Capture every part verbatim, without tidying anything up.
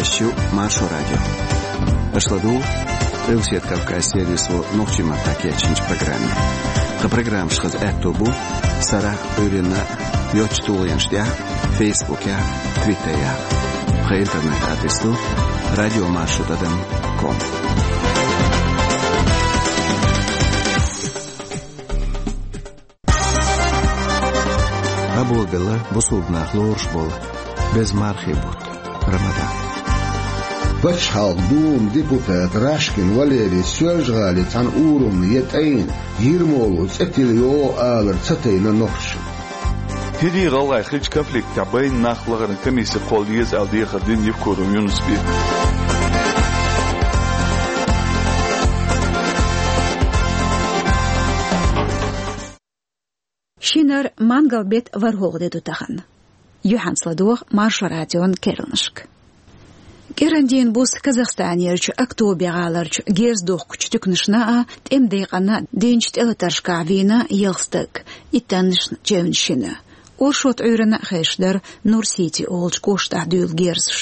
Шу Маршо радио. Аша ладугӀу Къилбаседа Кавказан сервисо нохчийн маттахь кечйинчу программе. Тхан программаш хаза аьтто бу сарахь а, Ӏуьйранна а йоцачу тулгӀенаш тӀехь а, Фейсбукехь а, Твиттерехь а. Тхан интернет-адрес ду радио маршо тӀадам ком. Къобалбелла бусулба нах лоруш болу беза мархин бутт Рамадан. Пачхьалкхан Думан депутата Рашкин Валерийс Соьлжа-ГӀалин цхьана урамна я тӀайна, Ермоло цӀе тилла йогӀу алар ца тайна нохчашна. ХӀирийн-гӀалгӀайн хиллачу конфликтехь байна нах лахаран комисси кхолла еза аьлла дехар дина Евкуров Юнус-Бека. Шинара мангал-беттан ворхӀалгӀа де ду тахана. Юьхьанца ладогӀа Маршо радион керланашка. КӀирандийнан буса Казахстанерчу Актобе-гӀаларчу герз дохкучу туьканашна а, тӀеман декъана динчу тӀелатаршкахь вийна ялх стаг, иттаннашна чевнаш йина. Оршот Ӏуьйранна а хезаш дара Нур-Сити олучу кӀоштахь дуьйлу герзаш.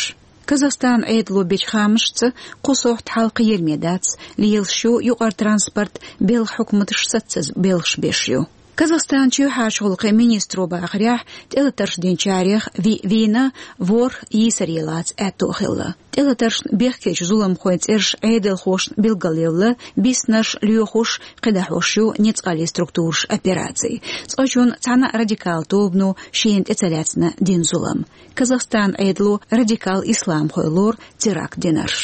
Казахстанан Ӏедало бечу хаамашца, кху сохьта хьал кхераме дац, лелаш ю юкъара транспорт, белхан хьукматаш саццаза белхаш беш ю. Казахстанан чоьхьарчу гӀуллакхийн министро бахарехь, тӀелатарш динчарех виъ вийна, ворхӀ йийсаре лаца аьтто хилла. ТӀелатаршна бехкечу зуламхойн цӀераш Ӏедалхошна билгалъевлла, биснарш лоьхуш, кхидӀа хьош ю ницкъаллин структураша операци. Цкъачунна цхьана а радикал тобано шена тӀе ца лаьцна дина зулам. Казахстанан Ӏедало радикал исламхой лору теракт динарш.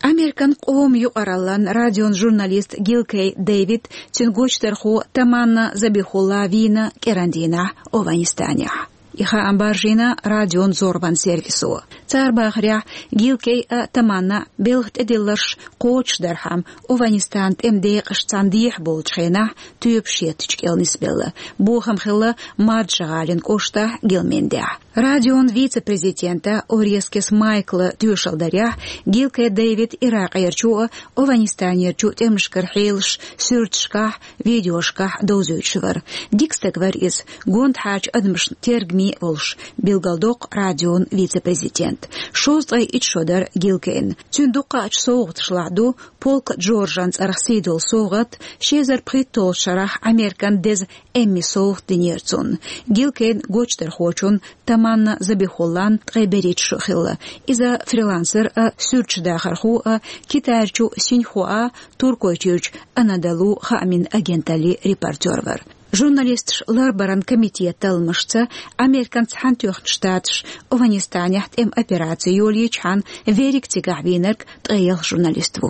Американ къоман юкъараллан радион журналист Гилкей Дэвид, цуьнан гочдархо Таманна Забихулла вийна кӀирандийнахь ОвхӀанистанехь. И хаам баржийна радион зорбан сервисо. Цара бахарехь, Гилкей а, Таманна а белхан тӀедилларш кхочушдархьама, ОвхӀанистанан тӀеман декъашца цхьаьна дехьа болчу хенахь тоьпаш еттачу кӀел нисбелла. Бохам хилла Марджа-гӀалин кӀоштахь Гилмендехь. Радион вице-президента Орескес Майкла тоьшалла дарехь, Гилкей Дэвид Иракъерчу а, ОвхӀанистанерчу тӀемашкара хьелаш суьрташкахь, видеошкахь довзуьйтуш вара. Дика стаг вара иза, гондахьарчу адамашна тергаме а волуш, билгалдоккху радион вице-президента. Шовзткъе итт шо дара Гилкейн. Цуьнан дуккхаъчу совгӀаташлахь ду Полк Джорджан цӀарах сий долу совгӀат, ши эзар пхийтталгӀачу шарахь Американ деза Эмми совгӀат динера цунна. Гилкейн гочдархочун Таманна Забихуллан ткъе берхӀитта шо хилла. Иза фрилансер а, суьрташ дахархо а, Китайрчу Синьхуа а, Туркойчуьрчу Анадолу хаамийн агенталлин репортер вара. Журналисташ ларбаран комитетан талламашца, Американ Цхьаьнатоьхначу Штаташа ОвхӀанистанехь тӀеман операци йолийчхьана, верриг цигахь вийнарг ткъе ялх журналист ву.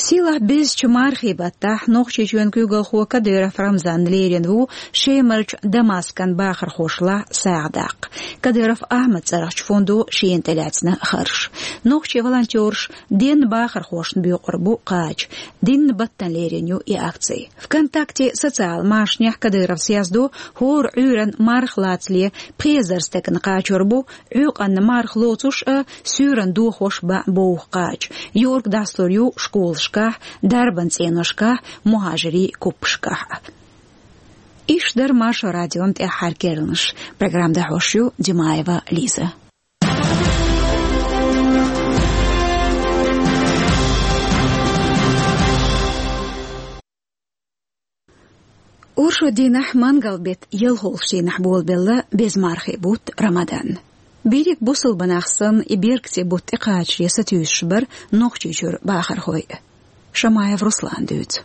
Сийлахь безачу мархийн баттахь Нохчийчоьнан куьйгалхо Кадыров Рамзан лерина ву Шемарчу Дамаскан бахархошлахь сагӀа даккха. Кадыров Ахьмадан цӀарахчу фондо шена тӀелаьцна харш. Нохчийн волонтераш денна бахархошна боькъур бу кхача. Дийнна баттана лерина ю и акци. ВКонтакте социал машанехь Кадыровс яздо: хӀора Ӏуьйранна марха лацале пхи эзар стагана кхачор бу, Ӏуьйкъанна марха лоцуш а, суьйранна дохош бан бовха кхача. Юург дӀасалур ю школашкахь, дарбан цӀеношкахь, мухӀажирийн куппашкахь а. Иштта дара Маршо радион тӀаьххьара керланаш. Программа дӀахьош ю Димаева Лиза. Оршот дийнахь, мангал-беттан ялхолгӀачу дийнахь болабелла беза мархийн бутт Рамадан. Берриг бусалба нах санна, и беркате бутт тӀекхачаре сатуьйсуш бара Нохчийчуьра бахархой а. Шамаев Руслана дуьйцу.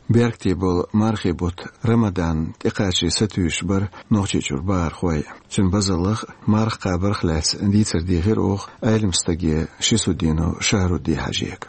Беркате болу мархийн бутт Рамадан тӀекхачаре сатуьйсуш бара Нохчийчуьра бахархой а. Цуьнан базаллах а, марха кхабарх а лаьцна дийцар дийхира оха Ӏелам стаге Шисуддинов Шахрудди-Хьаьжега.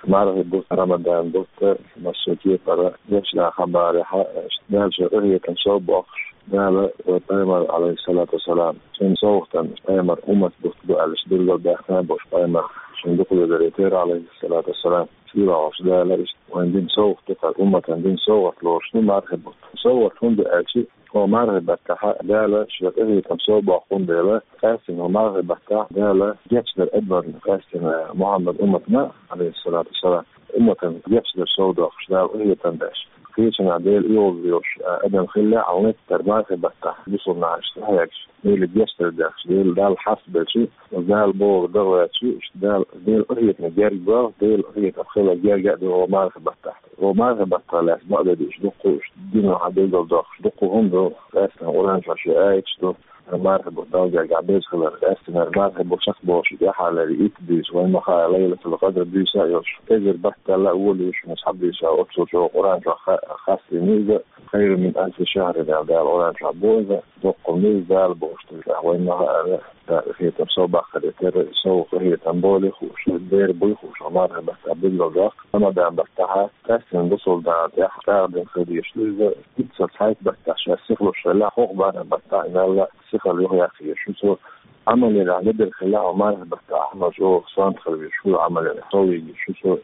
Мархийн бутт, Рамадан бутт, массо а кепара гечдахьа барехьа, Дала шен къинхетам сов боккхуш, Дала вайн пайхамар, Ӏалайхиссалату вассалам, цуьнан совгӀатана пайхамар уммат бутт бу аьлла, билгалбаьккхина а болуш, пайхамар шена дукха везаре терра, Ӏалайхиссалату вассалам, сийлахь волчу Дала иштта вайна дина совгӀат ду, тхан умматана дина совгӀат лоруш ду мархийн бутт. СовгӀат хӀунда ду аьлча, хӀокху мархийн баттахь Дала шен къинхетам сов боккху, хӀунда аьлча, къаьстина хӀокху мархийн баттахь Дала гечдар а бара къаьстина Мухьаммадан умматана, Ӏалайхиссалату вассалам, умматана гечдар сов доккхуш, Дала къинхетам беш. кхечанхьа Дела оьгӀаз йолуш адам хилла, хьалнеттара мархи баттахь бусулба нахаца хьегаш, Деле гечдар дехаш, Дела Далла хьастабелча, Дала бохург дагаваьлча, иштта Дала, Дела къахетамах герга ваьлла, Дела къахетам хилар герга а ду оха мархи баттахь. Оха мархи баттахь лаьцна бакъдерг дийцича дуккха а иштта динан хьан билгалдоккхуш дуккха хӀума ду, къаьсттина Къуръан чохь шен аяташ ду, мархи бутт Далла гергахь беза хилар, къаьсттинарг мархи бутт чекхболуш и тӀаьххьара итт буьйса, вайна ма-хаъара, Лайлатул-Къадр буьйса а йолуш, эзар баттал а волуш, шуна схьабуьйсуш оццул чӀогӀа Къуръан чохь ха-, хастийна иза, خير من ألف شهر аьлла Дала Къуръан чохь боху иза, доккха ма иза Дала бохуш дерг, вайна ма-хаъара, Дала къахетам сов баккхар и терра, сов къахетам болий хууш, бер буй хууш, мархи баттахь билгалдоккху, Рамадан баттахь, къаьсттина бусулба нахана тӀехь чӀагӀдина хила дезаш ду иза, итт цхьайтта баттахь шаьш сихалуш хилла, хӀокху мархи баттахь и мел а сихал юхаяккха езаш ю цо, Ӏамал ярехь ледара хилла, хӀокху мархи баттахь Ӏамал чӀогӀа сонта хила везаш ву, Ӏамал ярехь сов йийр ю цо.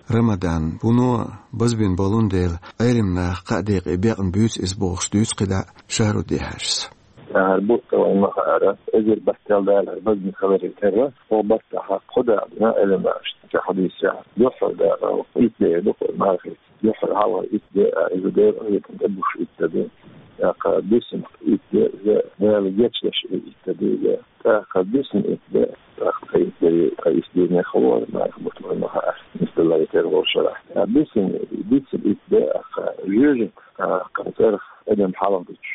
Рамадан вуно базбина болун дела, Ӏелам наха кхаа декъе бекъна буьйцу иза бохуш дуьйцу кхидӀа Шахрудди-Хьаьжас. ХӀара бутт, вайна ма-хаъара, эзар баттал Дала хӀара базбина хиларе терра, хӀокху баттахь кхо дакъа дина Ӏелам наха, хьадисехь, дуьххьара дакъа итт де ду кху мархи, дуьххьара, хьалхара итт де а, иза Делан къахетам тӀе буьгуш итт де ду. ТӀаккха бисина итт де, иза Дала гечдеш итт де ду иза. ТӀаккха бисина итт де, тӀаккха итт де, ткъа итт де нехан вара, мархи бутт, вайна ма-хаъара, нисдаларе терра волу шарахь. ТӀаккха бисина, бисина итт де, тӀаккха жоьжахати, тӀаккха цӀарах адам хьалхадуьтуш,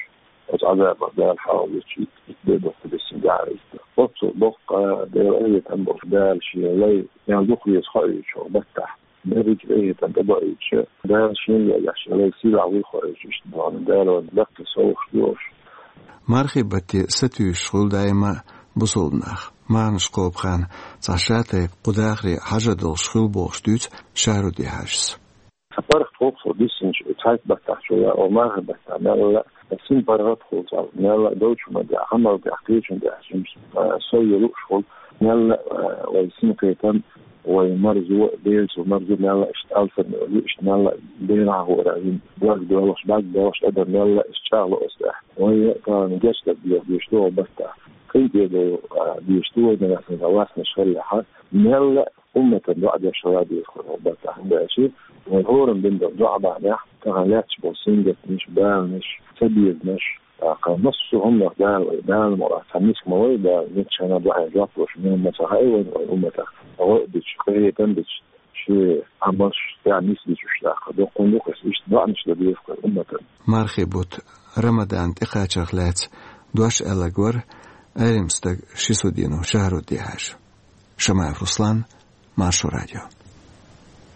оцу Ӏазапах Дала хьалхадуьтуш итт, итт де доккха бисина, дӀа итт де. Оццул доккха, Делан къахетам болуш, Дала шен лай мел дукха веза хоуьйтуш хӀокху баттахь, берриг а къахетам тӀедоуьйтуш, Дала шен лай, шен лай сийлахь вуй хоуьйтуш, иштта боху, Дала вайна даккхий совгӀаташ луш. Мархи батте сатуьйсуш хуьлу даима бусулба нах. Марханаш кхобу хан цхьа шатайпа кху дахаре хьажа долуш хуьлу бохуш дуьйцу Шахрудди-Хьаьжас. Цхьа паргӀат хуьлу-кх со диссинчу цхьайтта баттахь чу, я оха мархи баттахь мелла а, син паргӀат хуьлу цхьа, мелла а долчу хӀуманна тӀехь, хьамал тӀехь, кхечун тӀехь жимчу, а, сов йолуш хуьлу, мелла а, а, вай синкхетам, вай марзо, Делан цу марзо мелла а иштта алсам йолу, иштта мелла а дийнахь а хӀора жима, бӀаьрг доьлхуш, бӀаьрг доьлхуш адам мелла а иштта чӀагӀло оцу тӀехь. Вай тахана гечдар дехар деш ду хӀокху баттахь. КъинтӀера ду, а, деш ду вай, нагахь санна васнаш хиллехь, мелла а умматан доӀа деш хила деза хӀокху баттахь, хӀунда аьлча вай хӀоранна дина долу доӀа бахьанехь, тахана лаьтташ болу сингаттамаш, баланаш, цабезамаш, тӀаккха массо а хӀуманах Дала, Дала мукъалахь, цхьа миска ма вай, Дала меттахана дуьхьал жоп луш муха ма ца хаьа вайна, вайн умматах гӀо а дича, къахетам а дича, шен Ӏамалш тӀехь нисдичуш, тӀаккха доккха хӀума ду-кх иза, иштта доӀанаш дан деза-кх вайн умматана. Мархи бутт, Рамадан тӀекхачарх лаьцна дош аьлларг вара Ӏелам стаг Шисудинов Шахрудди-Хьаьжа. Шамаев Руслан, Маршо радио.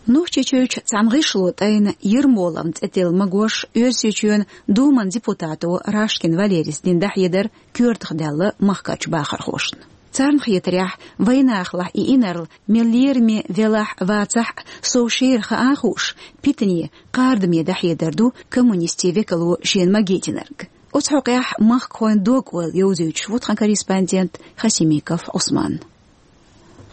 Нохчийчуьрчу цхьана гӀишло тӀайна Ермоловн цӀе тилла магош Оьрсийчоьнан Думан депутато Рашкин Валерис дина дӀахьедар коьртах даьлла махкарчу бахархошна. Царна хетарехь, вайнахалахь и инарла мел лераме велахь а, вацахь а, сов шера хаа а хууш, питане, кхардаме дӀахьедар ду коммунистийн векало шена магийдинарг. Оцу хьокъехь махкахойн дог-ойла йовзуьйтуш ву тхан корреспондент Хасимиков Ӏусман.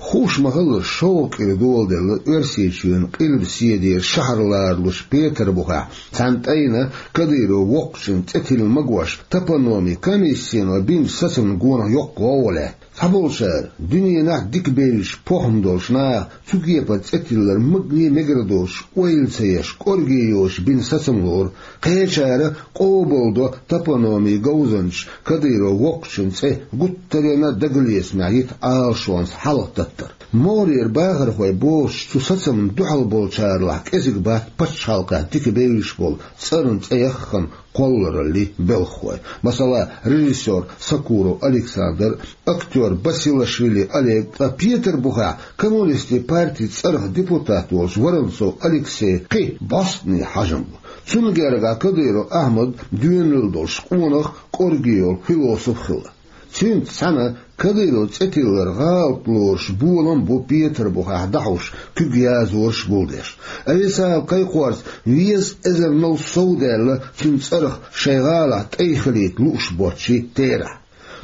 Хууш ма-хиллара, шовзткъе кӀира доладелла Оьрсийчоьнан къилба седера шахьар лоралуш Петарбухехь цхьана тӀайна Кадыровн воккхачун цӀе тилла магош топонимийн комиссино бина сацамна гонах йоккха гӀовгӀа лаьтта. Цхьаболчара, дуьненахь дика бевзаш похӀма долчу наха цу кепара цӀе тиллар магане мегар доцуш, ойла ца еш, кӀорге йоцуш бина сацам лору, кхечара къобалдо топонимийн говзанчаш Кадыровн воккхачун цӀе гуттаренна а дагалецамехь йита Ӏалашонца хьалха таттар. МогӀарера бахархой бохучу цу сацамна дуьхьал болчарах кӀезиг бац пачхьалкхехь дика бевзаш болу цӀарна цӀе яххана кхоллараллин белхахой. Масала, режиссёр Сокуров Александр, актёр Басилашвили Олег, ткъа Петарбухехь коммунистийн партин цӀарах депутат волчу Воронцов Алексейн кхин бӀостанийн хьежам бу. Цунна гергахь Кадыров Ахьмад доьналла долуш къонах, кӀорге йолу философ хилла. Цуьнца цхьаьна Кадыровн цӀе тиллар гӀалат лоруш болам бу Петарбухехь дӀахьош, куьг язораш гулдеш. Ӏийса-Кхайкхорца веза эзар новкъа сов даьлла цуьнан цӀарах шайн гӀалахь тӀай хилийта лууш боцчийн терахь.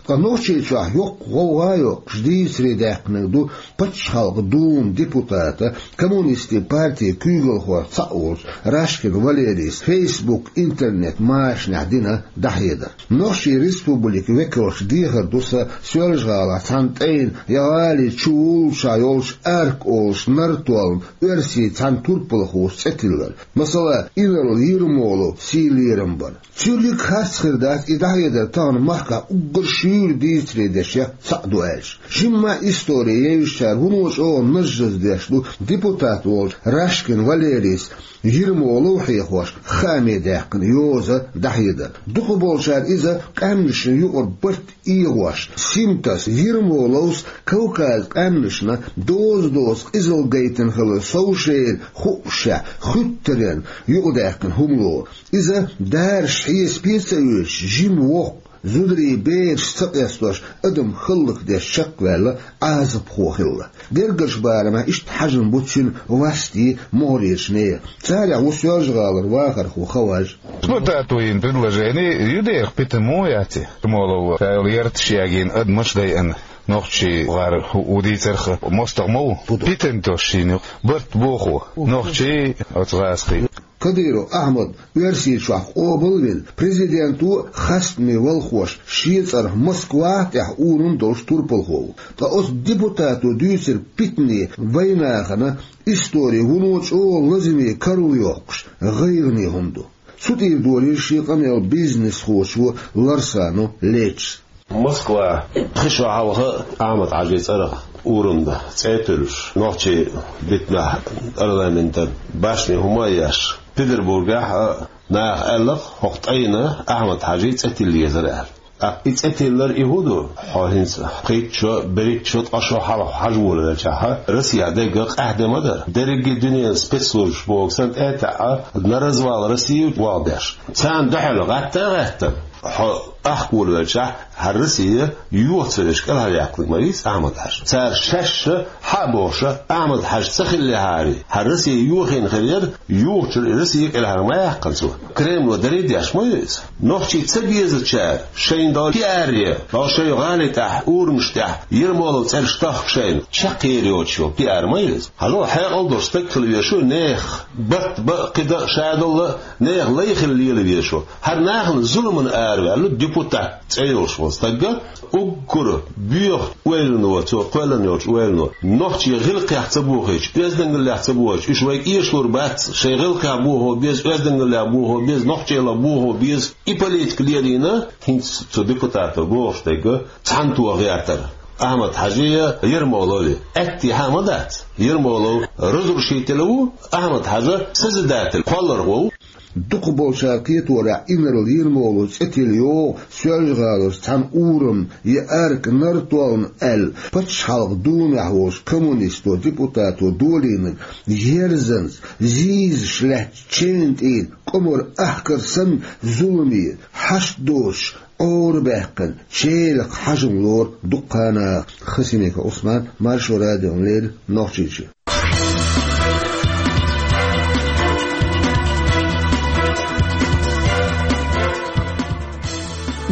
Ткъа Нохчийчохь йоккха гӀовгӀа а йоккхуш дийцаре даьккхинарг ду Пачхьалкхан Думан депутата, коммунистийн партин куьйгалхойх цхьаъ волчу Рашкин Валерийс Facebook интернет-машанехь дина дӀахьедар. Нохчийн республикан векалша дехар ду сан Соьлжа-ГӀалахь цхьана тӀайна я гӀали чу вуллучохь йолчу Арк олучу Нартолна оьрсийн цхьана турпалхочо цӀе тиллар. Масала, инарла Ермолов сий лерам бар. Цуьнан лерг харц хир дац, и дӀахьедар тахана махкахь уггар шуьйра дийцаре дешех цхьаъ ду аьлча. Жимма истори евзачара вуно чӀогӀа нажжаза деш ду депутат волчу Рашкин Валерийс Ермолов хьехош хааме даьккхина йоза дӀахьедар. Дукхахболчара иза къаьмнашна юкъара барт эгӀош, Симтас, Ермоловс Кавказан къаьмнашна доза-доза къизалла гайтина хилар совшеран хуъушехь, хуьттаренна юкъадаьккхина хӀума лору. Иза дараш хьесапе а ца оьцуш, жима воккха, зударий, бераш ца къестош, адам хӀаллакдеш чекхваьлла Ӏазапхо хилла. Гергарчу барамехь иштта хьажам бу цуьнан вастийн могӀарерчу нехан. Царех ву Соьлжа-ГӀалара вахархо Хаваж. Депутато йина предложени юдерах питана муха яц и? Ермолов ша йолу ярташ ягийна адамаш дайъина нохчий гӀар хӀу дийцарх мостагӀа ма ву. Питана тосуш йина ю. Барт бохо нохчий оцу гӀазкхий. Кадыров Ахьмад Оьрсийчохь къобал а вина, президенто а хастаме валхош шен цӀарах Москвахь а тӀехь урам долуш турпалхо ву. Ткъа оцу депутато дуьйцург питане вайнахана истори вуно чӀогӀа лазаме карла йоккхуш, гӀайгӀане хӀума ду. Цу тӀера долийра шен къамел бизнесхочо Ларсанов Лечас. Москва пхи шо хьалха Ахьмад-Хьаьжин цӀарах урам дан цӀе а туьллуш, нохчийн битмехь парламентан башни хӀума а еш, Петербургехь а наха аьлла-кх, хӀокху тӀайна Ахьмад-Хьаьжин цӀе тилла езара аьлла. ТӀаккха и цӀе тиллар и хӀун ду? Хьо хӀинца пхийтта шо, берхӀитта шо, ткъа шо хьалха хьажа волавелчахь, Россехь дерг къаьхьа де ма дара. Дерриге дуьненан спецслужбаш бохург санна тӀе а таьӀна, на развал России болх беш. Царна дуьхьал гӀатта а гӀаьттина, хьо ахка волавелчахь, хӀара Россия йоха ца веш кӀелхьаръяьккхинарг ма вийца Ахьмад-Хьаьжа. Цара шаьш а хьа а бохуш, Ахьмад-Хьаьжа ца хиллехьара, хӀара Россия йохийна хир яра, юхучуьра Россия кӀелхьара ма яьккхина цо. Кремло дарий деш ма ю иза. Нохчий ца безачара шайна дӀа пиар е, дӀа шайн гӀали тӀехь, урамаш тӀехь Ермолов цӀераш тохка шайна чекхъер йоцуш йолу пиар ма ю иза. Хьажал, хьекъал долуш стаг хила везаш ву, нехан барт бан а, кхин дан а, шадолу а нехан лай хила лела везаш ву. ХӀара нахана зуламна араваьлла депутат цӀе йолуш волу стаг а, уггар боьха ойлано, цо кхоьллина йолчу ойлано, нохчий гӀиллакхех ца бохуьйтуш, оьздангаллех ца бохуьйтуш, уьш вайга эшалур бац, шайн гӀиллакхех бохо беза, оьздангаллех бохо беза, нохчаллех бохо беза, и политика лелийна, хӀинца цу депутато бохуш дерг а цхьаьна тоха гӀертара. Ахьмад-Хьаьжи а, Ермолов а. Аьттехьа а ма дац. Ермолов разрушитель ву, Ахьмад-Хьаьжа созидатель, кхоллархо ву. Дукхахболчара кхеторехь, инарла Ермолов цӀе тилла йогӀу Соьлжа-ГӀалара цхьана урамна я Арк, Нартолна аьлла, Пачхьалкхан Думехь волчу коммунисто депутато долийнарг ерзанца, зийзаш лаьттачу ченан тӀера кӀомара ахкар санна зуламе, хьашт доцуш, Ӏора баьккхина, челакх хьажам лору дуккха а наха. Хасимиков Ӏусман, Маршо радиона леррина, Нохчийчоь.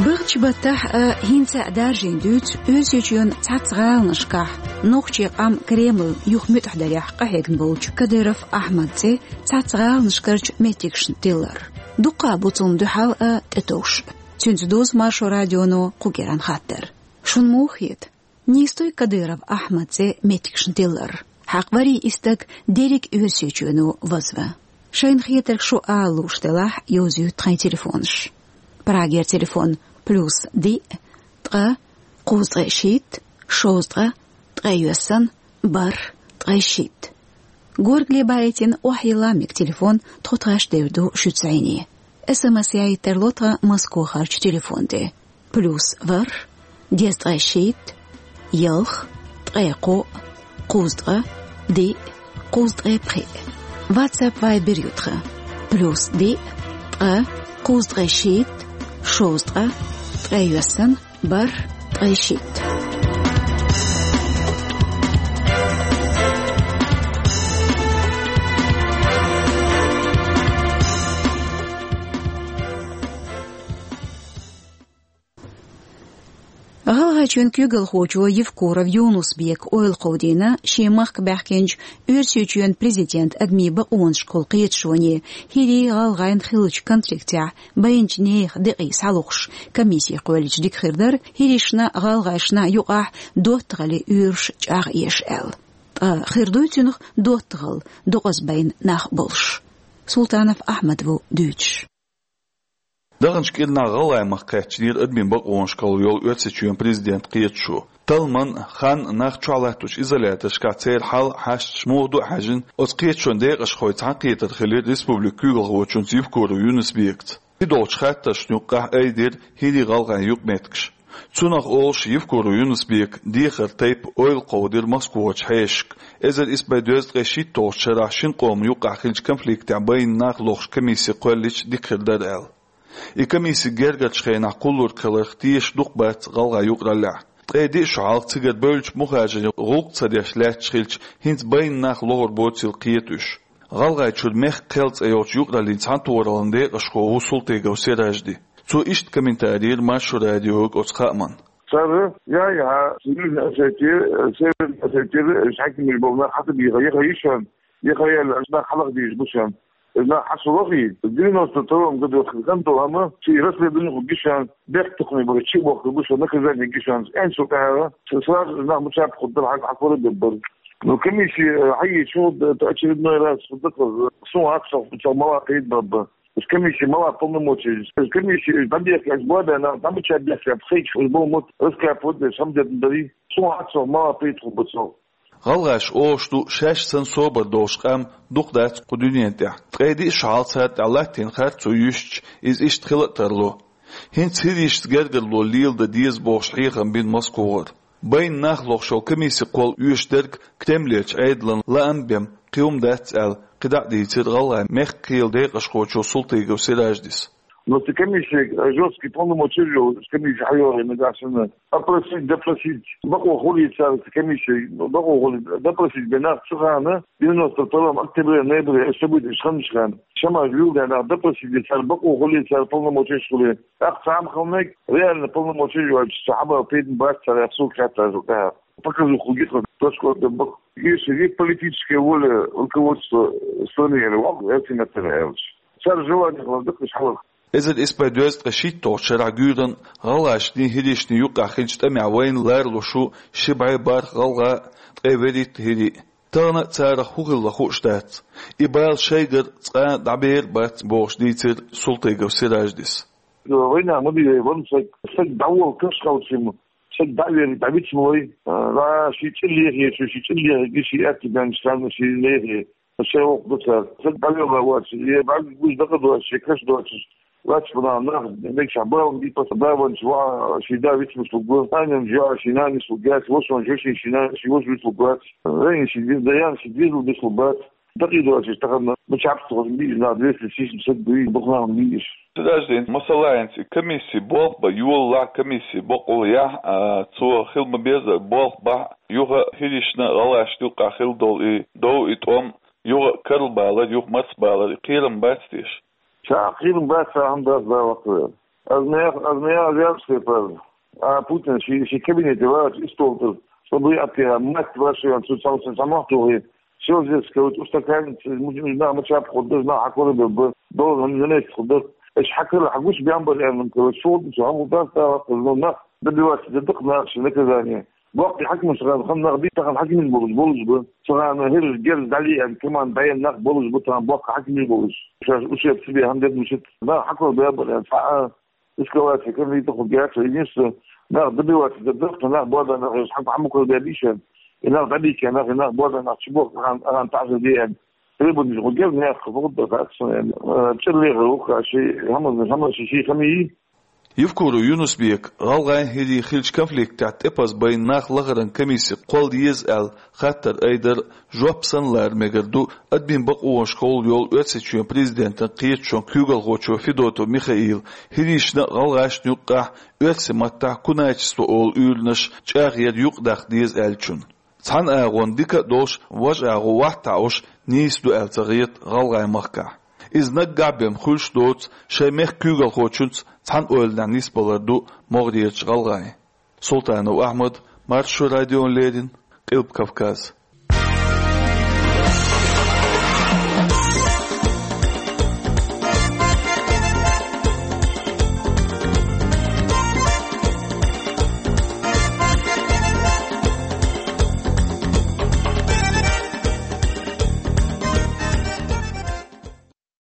Бахча-баттахь а, хӀинца а даржийна дуьйцу Оьрсийчоьнан цхьацца гӀаланашкахь нохчийн къам Кремлна юха муьтӀахь дарехь къахьегна волчу Кадыров Ахьмадан цӀе цхьацца гӀаланашкарчу меттигашна тиллар. Дуккха а бу цунна дуьхьал а, тӀетовш. Цуьнца доьзна Маршо радионо кху кӀиранан хаттар. Шуна муха хета? Нийса дуй Кадыров Ахьмадан цӀе меттигашна тиллар? Хьакъ варий и стаг дерриг Оьрсийчоьно вазван? Шайна хетарг шу ала лууш делахь, йовзуьйту тхайн телефонаш. Прагера телефон: плюс диъ, ткъа, кхузткъе шийтта, шовзткъа, ткъе йоьссана, бархӀ, ткъе шийтта. Горгали баийтина охьайилла мега телефон, тхо тхаьш девр ду шуьца зӀене. СМС яийта тарло тхан Москохарчу телефон тӀе: плюс ворхӀ, дезткъе шийтта, ялх, ткъе кхоъ, кхузткъа, диъ, кхузткъе пхиъ. WhatsApp, Viber ю тхан: плюс диъ, ткъа, кхузткъе шийтта, шовзткъа, ткъе йоьссана, бархӀ, ткъе шийтта. Нохчийчоьнан куьйгалхочо Евкуров Юнус-Бека ойла кховдийна шен махка баьхкинчу Оьрсийчоьнан президентан адамийн бакъонашкахула кхеташоне, хӀирийн, гӀалгӀайн хиллачу конфликтехь байначу нехан декъий схьалохуш комисси кхоьллича дика хир дара, хӀирашна а, гӀалгӀашна а юкъахь доттагӀаллин уьйраш чӀагӀъеш аьлла. Ткъа хир дуй цуьнах доттагӀалла, докъаза байна нах болуш? Султанов Ахьмад ву дуьйцуш. Даханчу кӀирнахь ГӀалгӀайн махка кхаьчнера адамийн бакъонашкахула йолу Оьрсийчоьнан президентан кхеташо. Талламан, ханна нах чохь латточу изоляторшкахь церан хьал, хьашташ муха ду а хьаьжна, оцу кхеташонан декъашхойн цхьаьнакхетар хилира республикан куьйгалхочуьнца Евкуров Юнус-Бекаца. Кхидолчу хаттаршна юккъехь айдира хӀирийн, гӀалгӀайн юкъаметтигаш. Цунах олуш, Евкуров Юнус-Бека дехар тайпа ойла кховдийра Москвахочу хьешашка. Эзар исс бӀе дезткъе шийтталгӀачу шарахь шина къоман юкъахь хиллачу конфликтехь байна нах лохуш комисси кхоьллича дика хир дара аьлла. И комисси гергарчу хенахь кхуллург хиларх теша дукха бац гӀалгӀайн юкъараллехь. Ткъе диъ шо хьалха цигара бевллачу мухӀажарийн гӀуллакх ца деш лаьтташ хилча, хӀинца байна нах лохур боцийла кхета уьш. ГӀалгӀайчуьра «Мехкан кхел» цӀе йолчу юкъараллин цхьаьнатохараллин декъашхо ву Султыгов Сиражди. Цо иштта комментарий йира Маршо радиога оцу хаамна. Цара яй-яй, Северная Осетия, Северная Осетия, хьаькамаш болу нах хьасаб яха, яха йиш ян, яха яьлла, нах хьалха дийш бу шан. Нах хьасу вахий, девяносто втором году хан долу хӀама, ши расследование хӀу гишан, бехк тухуш бара, чу бохку гуш, наказание гишан, энсу кара, сразу нах мучап худ дар хьак хьакура беббар. Ну, комиссия, э, хьаечу, д-, д-, очередной раз, вот это, э, сун аксов, сал мала кайд бабба. Уж комиссия мала полномочия. Уж комиссия, уж бабек, уж бода, на, там ча бек, я пхейч, уж бомот, раскапывать, сам дед дари. Сун аксов мала кайд хубацал. ГӀалгӀаша олуш ду, шаьш санна собар долуш къам дукха дац кху дуьнен тӀехь. Ткъе диъ шо хьалха цара тӀехь латтийна харцо юьстича, иза иштта хила а тарло. ХӀинца хӀирашца гергарло леладан деза бохуш хьехам бина Москвахара. Байна нах лохуш йолу комисси кхолла оьшуш дерг Кремлерчу Ӏедалан лаам бен кхин хӀума дац аьлла, кхидӀа а дийцира ГӀалгӀайн мехкан кхелан декъашхочо Султыгов Сираждис. Но цу комиссия жёсткие полномочия йолу, комиссия хьайогӀий нагахь санна. Опросить, допросить. Бакъо хуьлий цара цу комиссия, бакъо хуьлий, допросить бен нах цу хана, девяносто втором октябре, ноябре, события ханнаш хана. Шамаш вилда нах допросить бен цара, бакъо хуьлий цара, полномочия хуьлий. ТӀаккха цхьа хӀума хилниг, реально полномочия йоцуш, цу хьабал пайдан бац цара, сук хаттажу тӀехь. Показуха гихла точка отдыха. Если есть политическая воля руководства страны, я говорю, вам, я тебе это нравится. Цара желание было, так и шалах. Эзар исс бӀе дезткъе шийтталгӀачу шарахь гуьйранна гӀалгӀашний, хӀирашний юккъехь хиллачу тӀамехь вайна ларалуш ву ши бӀе бархӀ гӀалгӀа а, ткъе вуьрхӀитта хӀирий. Тахана а царах хӀун хилла хууш дац. И бала шайгара цкъа а дӀабер а бац, бохуш дийцира Султыгов Сираждис. Вайна ма бий, ван саг, саг дӀаволла каш хавчим, саг дӀавер, дӀавичмалой, а, ши чӀиллехе, ши чӀиллехе, ши аьтту бен, ши лехе. Шайн воккха ду цара. Ца дӀавелла воцуш, е бӀаьрг гуш дакха доцуш, е каш доцуш. Лач пана нах, мегаш бала бипас, баванча ва, ши да вичмаш лугу, анем жа, ши наниш лугу, гас, вошон жа, ши, ши наниш, ши вош виш лугу, гас. Рейн ши дир, даян ши дир лугу, диш лугу, гас. Дакъий доцуш, тахана, ну, чапс тохаш, би, на двести шестьдесят дуй, бухнам, би, иш. Подожди, масалаенц, комисси болх ба, юлла комисси бокъул яхь, а, цо хил ма беза, болх ба, юха хӀиришна, гӀалгӀашна юккъа хил дол и, дов и тӀом, юха карл балар, юха марс балар, и кхерам бац теш. Ша кхерам бац, ша хӀама дац, да, вакхавер. Аз мех, аз мех, аз ял шкепаз. А Путин ши, ши кабинете вац, истолтур. Чтобы я пья, мать вашу, я цу цалцин самохтухи. Всё здесь, короче, устаканится, мы, мы, нам чап ходдур, на хакура беббур, должен на месте ходдур. Эш хакура, хагуш бямбар, я нам, короче, шо, шо, хабу дац, да, вакхавер, ну, на, добиваться, да, дак, на, ши наказание. Боккхий хьаькамаш тахана, хан нах бий, тахана хьаькамийн болуш, болуш бу. Тахана хӀирш герз дӀали, ан команд дӀаян нах болуш бу, тахана боккхий хьаькамийн болуш. Шаьш ушет себе хӀама дед мушет. Нах хьакор бебар, ан цхьа а эскалация кан витаху герц, единство, нах добиваться дердах, нах бода нах, хьак хьамукар бебишан. И нах дӀабийча нах, и нах бода нах чубох, ан, ан таза диен. Требования гугер, нах хубур да хатсан. Э, чирлигъа ухаши, хӀама, хӀама ши, ши хами. Евкуров Юнус-Бека гӀалгӀайн, хӀирийн хиллачу конфликтехь тӀепаза байна нах лахаран комисси кхолла еза аьлла хаттар айдар жоп санна лара мегар ду адамийн бакъонашкахула йолу Оьрсийчоьнан президентан кхеташонан куьйгалхочо Федотов Михаила, хӀиришна а, гӀалгӀашна юккъехь оьрсийн маттахь куначество олу уьйранаш чӀагӀъяр юкъадаккха деза аьллачунна. Цхьана агӀонна дика а долуш, важа агӀо ваттахь уш нийса ду аьлла ца хета гӀалгӀайн махкахь. Иза наггахь бен хуьлуш доцу шайн мехкан куьйгалхочуьнца цхьана ойланехь нисбалар ду могӀарерчу гӀалгӀайн. Султанов Ахьмад, Маршо радиона леррина, Къилба Кавказ.